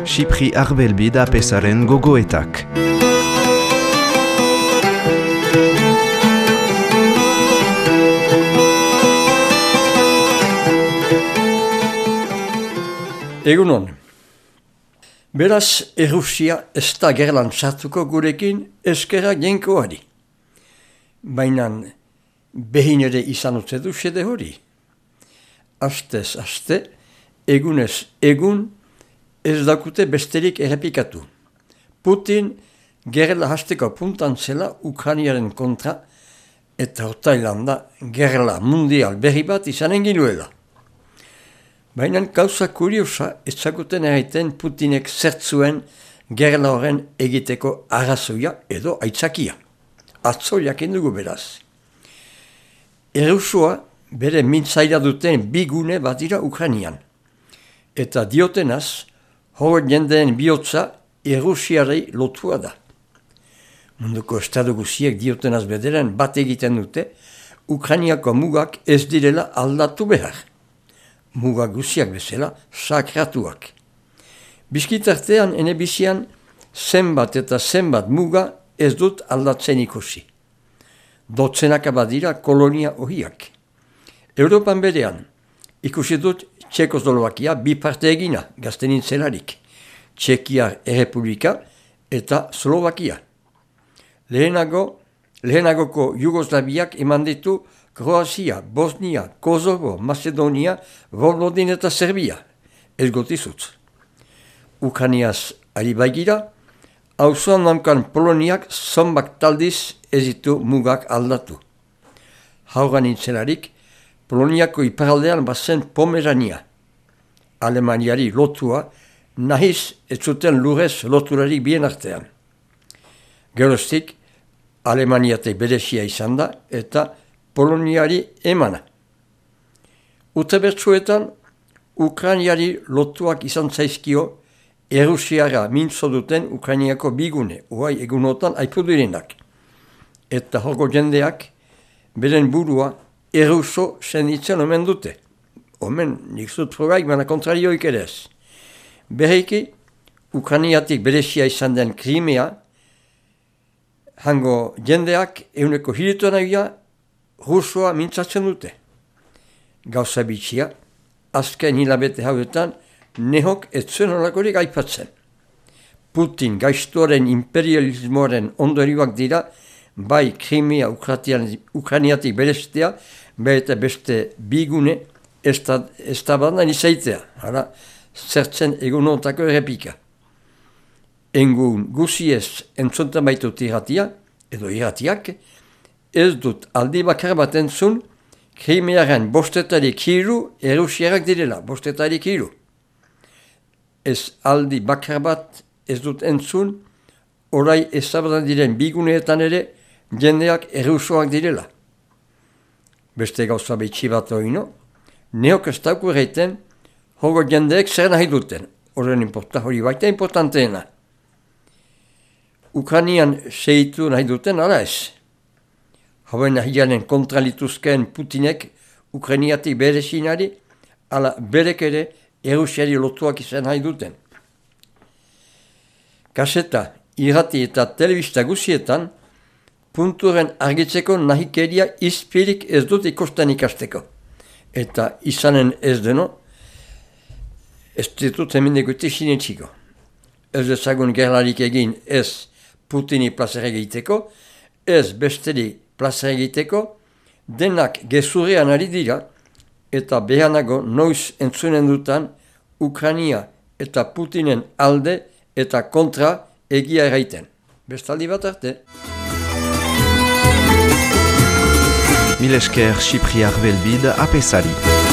Xipri Arbelbid apesaren gogoetak. Egunon. Beraz, Errusia ez da gerlan sartuko gurekin eskera jenkoari. Baina behin ere izan utze du xede hori. Astez aste, egunez egun, ez dakute besterik errepikatu. Putin gerla hasteko puntan zela Ukrainiaren kontra eta Hortailanda gerla mundial berri bat izanen ginuela. Baina gauza kuriosa ezaguten erraiten Putinek zertzuen gerla horren egiteko arrazoia edo aitzakia. Atzo jakin dugu beraz. Errusua bere mintzaira duten bi gune bat dira Ukrainian. Eta diotenaz, hor jendeen bihotza Errusiarei lotua da. Munduko estadu guziek diotenaz bederen bat egiten dute, Ukrainiako mugak ez direla aldatu behar. Muga guziak bezala sakratuak. Bizkitartean enebizian zenbat eta zenbat muga ez dut aldatzen ikusi. Dotzenaka badira kolonia ohiak. Europan berean ikusi dut Txekoslovakia bi parte egina gaztenin zelarik. Txekia Errepublika eta Slovakia. Lehenagoko Jugoslaviak eman ditu Kroazia, Bosnia, Kosovo, Macedonia, Vojvodina eta Serbia. Ez gotizutz. Ukrainiaz ari baigira, auzoan namkan Poloniak zonbak taldiz ez ditu mugak aldatu. Hauran nintzelarik, Poloniako iparaldean bazen Pomerania. Alemaniari lotua, nahiz ez zuten lurrez loturarik bien artean. Geroztik, Alemaniatek berezia izan da eta Poloniari emana. Urte bertsuetan, Ukrainiari lotuak izan zaizkio Errusiara mintzo duten Ukrainiako bigune, uai egunotan aipudirenak. Eta horko jendeak, beren burua Erruso senditzen omen dute. Omen, nik zut probaik, baina kontrarioik ere ez. Berriki, Ukrainiatik berezia izan den Krimea, hango jendeak euneko hilituanaia Rusoa mintzatzen dute. Gauza bitxia, azken hilabete hauetan, nehok ez zuen holakorik aipatzen. Putin gaiztoaren imperialismoaren ondorioak dira, bai Krimea Ukrainiatik bereztea, bai eta beste bigune ez da badan izaitea. Hala, zertzen egunotako errepika. Engun guziez entzontan baitut irratia, edo irratiak, ez dut aldi bakar bat entzun, Krimearen bostetarik hiru Errusiarak direla, bostetarik hiru. Ez aldi bakar bat ez dut entzun, orai ezabadan diren biguneetan ere, jendeak Errusoak direla. Beste gauza behitsi bat oino, neok ez dauku erreiten, hogo jendeek zer nahi duten, hori baita importanteena. Ukrainian seitu nahi duten ala ez. Hauen nahianen kontralituzkeen Putinek Ukrainiatik berezinari, ala berek ere Errusiari lotuak izan nahi duten. Kaseta, irrati eta telebista guzietan, punturen argitzeko nahikeria izpirik ez dut ikusten ikasteko. Eta izanen ez deno, ez ditut hemen egutik sinetxiko. Ez ezagun gerlarik egin ez Putini plazera egiteko, ez besteri plazera egiteko, denak gezurrean ari dira, eta behanago noiz entzunen dutan Ukrainia eta Putinen alde eta kontra egia erraiten. Bestaldi bat arte. Mil esker Xipri Arbelbid apesari.